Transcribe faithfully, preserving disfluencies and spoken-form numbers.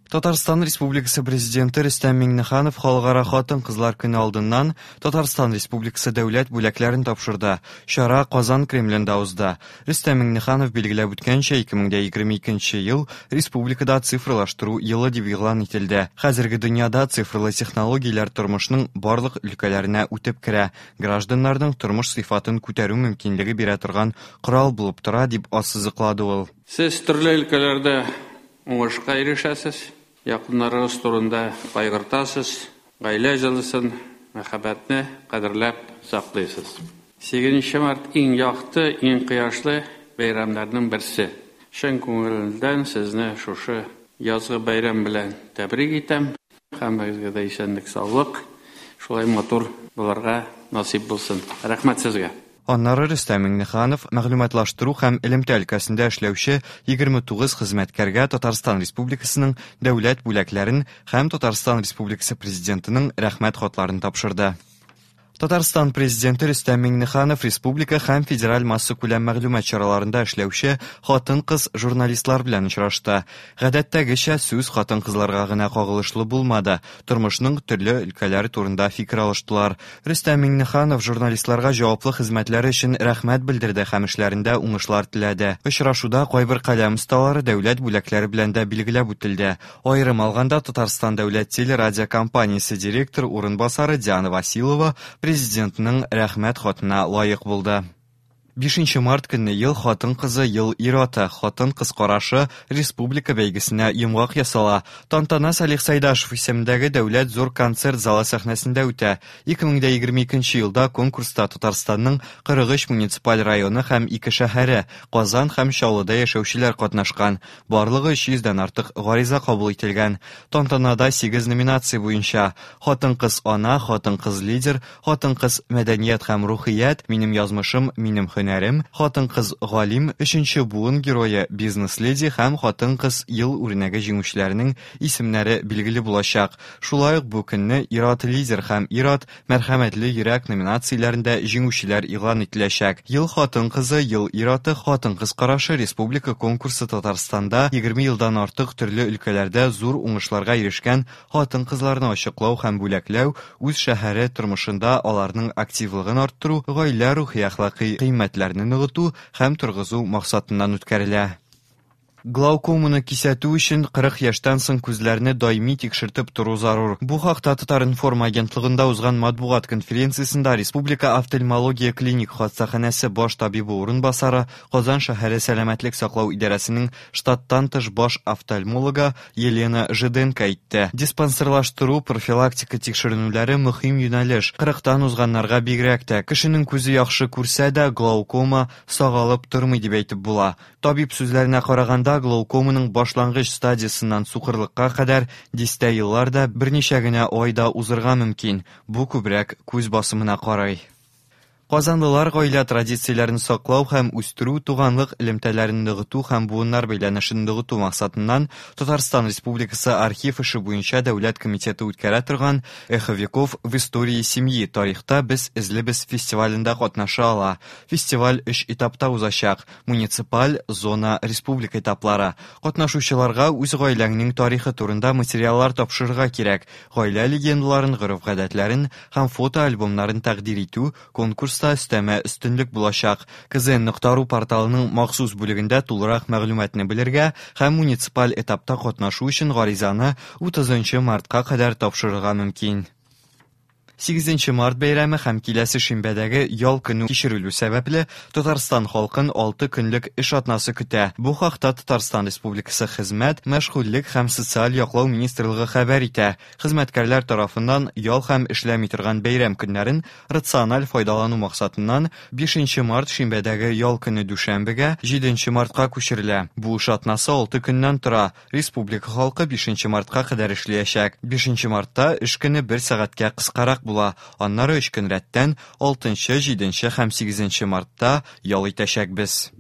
Татарстан Республикасы Президенты Рөстәм Миңнеханов Халыкара хатын-кызлар көне алдыннан Татарстан Республикасы дәүләт бүләкләрен тапшырды. Чара Казан Кремлендә узды. Рөстәм Миңнеханов билгеләп үткәнчә, ике мең егерме икенче ел республикада цифрлаштыру елы дип игълан ителде. Хәзерге дөньяда цифрлы технологияләр тормышның барлык өлкәләренә үтеп керә. Гражданнарның тормыш сыйфатын күтәрү мөмкинлеге бирә торган корал булып тора, дип ассызыклады ул. Сез төрле өлкәләрдә уңышка ирешәсез, якыннарыгыз турында кайгыртасыз, гаилә җылысын, мәхәббәтне кадерләп саклыйсыз. Сигезенче март иң якты, иң кояшлы бәйрәмнәрнең берсе. Чын күңелдән сезне шушы язгы бәйрәм белән тәбрик итәм. Һәммәгезгә дә исәнлек, саулык, шулай матур булырга насыйп булсын. Рәхмәт сезгә. Аннары Рөстәм Миңнеханов мәгълүматлаштыру һәм элемтә өлкәсендә эшләүче егерме тугыз хезмәткәргә Татарстан Республикасының дәүләт бүләкләрен һәм Татарстан Республикасы Президентының рәхмәт хатларын тапшырды. Татарстан Президенты Рөстәм Миңнеханов республика һәм федераль массакүләм мәгълүмат чараларында эшләүче хатын-кыз журналистлар белән очрашты. Гадәттәгечә сүз хатын-кызларга гына кагылышлы булмады. Тормышның төрле өлкәләре турында фикер алыштылар. Рөстәм Миңнеханов журналистларга җаваплы хезмәтләре өчен рәхмәт белдерде һәм эшләрендә уңышлар теләде. Очрашуда кайбер каләм осталары дәүләт бүләкләре белән дә билгеләп үтелде. Аерым алганда Татарстан дәүләт телерадиокомпаниясе директор урынбасары Диана Василова Президентның рәхмәт хатына лаек булды. Бишенче март көнне ел хатын-кызы, ел ир-аты, хатын-кыз карашы республика бәйгесенә йомгак ясала. Тантана Салих Сайдашев исемендәге дәүләт зур концерт залы сәхнәсендә үтә. Ике мең егерме икенче елда конкурста Татарстанның кырык өч муниципаль районы һәм ике шәһәре, Казан һәм Чаллыда яшәүчеләр катнашкан. Барлыгы өч йөздән артык гариза кабул ителгән. Тантанада сигез номинация буенча: хатын-кыз ана, хатын-кыз лидер, хатын-кыз мәдәният һәм рухият, минем язмышым, минем һөнәрем, хатын-кыз галим, өченче буын герое, бизнес-леди һәм хатын-кыз ел үрнәге җиңүчеләренең исемнәре билгеле булачак. Шулай ук бу көнне ир-ат лидер һәм ир-ат мәрхәмәтле йөрәк номинацияләрендә җиңүчеләр игълан ителәчәк. Ел хатын-кызы, ел ир-аты, хатын-кыз карашы республика конкурсы Татарстанда егерме елдан артык төрле өлкәләрдә зур уңышларга ирешкән хатын-кызларны ачыклау һәм бүләкләү, үз шәһәре тормышында аларның активлыгын арттыру, гаилә рухи әхлакый кыйммәтләрне ныгыту һәм торгызу максатыннан үткәрелә. Глаукоманы кисәтү өчен кырык яшьтән соң күзләрне даими тикшертеп тору зарур. Бу хакта Татар-информ агентлыгында узган матбугат конференциясендә Республика офтальмология клиник хастаханәсе баш табибы урынбасары, Казан шәһәре сәламәтлек саклау идарәсенең штаттан тыш баш офтальмологы Елена Жиденко әйтте. Диспансерлаштыру профилактика тикшеренүләре мөһим юнәлеш. Кырыктан узганнарга бигрәк тә. Кешенең күзе яхшы күрсә дә, глаукома сагалып тормый дип әйтеп була. Табиб сүзләренә караганда, глаукоманың башлангыч стадиясеннән сукырлыкка кадәр дистә еллар да берничә генә айда узырга мөмкин. Бу күбрәк күз басымына карый. Казанлылар гаилә традицияләрен саклау һәм үстерү, туганлык элемтәләрен ныгыту һәм буыннар бәйләнешен ныгыту максатыннан Татарстан Республикасы архив эше буенча дәүләт комитеты үткәрә торган Эхо веков в истории семьи тарихта без эзлебез фестивалендә катнаша ала. Фестиваль өч этапта узачак: муниципаль, зона, республика этаплары. Катнашучыларга үз гаиләңнең тарихы турында материаллар тапшырырга кирәк. Гаилә легендаларын, гореф-гадәтләрен һәм фотоальбомнарын тәкъдир итү конкурс өстәмә өстенлек булачак. К З Н нокта ру порталының махсус бүлегендә тулырак мәгълүматны белергә һәм муниципаль этапта катнашу өчен гаризаны утызынчы мартка кадәр тапшырырга мөмкин. Сигезенче март бәйрәме һәм киләсе шимбәдәге ял көне кичерелү сәбәпле Татарстан халкын алты көнлек эш атнасы көтә. Бу хакта Татарстан Республикасы Хезмәт, мәшгульлек һәм социаль яклау министрлыгы хәбәр итә. Хезмәткәрләр тарафыннан ял һәм эшләми торган бәйрәм көннәрен рациональ файдалану максатыннан бишенче март шимбәдәге ял көне дүшәмбегә, җиденче мартка күчерелә. Бу эш атнасы алты көннән тора. Республика халкы бишенче мартка кадәр эшләячәк. Бишенче мартта эш көне бер сәгатькә кыскарак була. Аннары өч көн рәттән алтынчы, җиденче һәм сигезенче мартта ял итәчәкбез.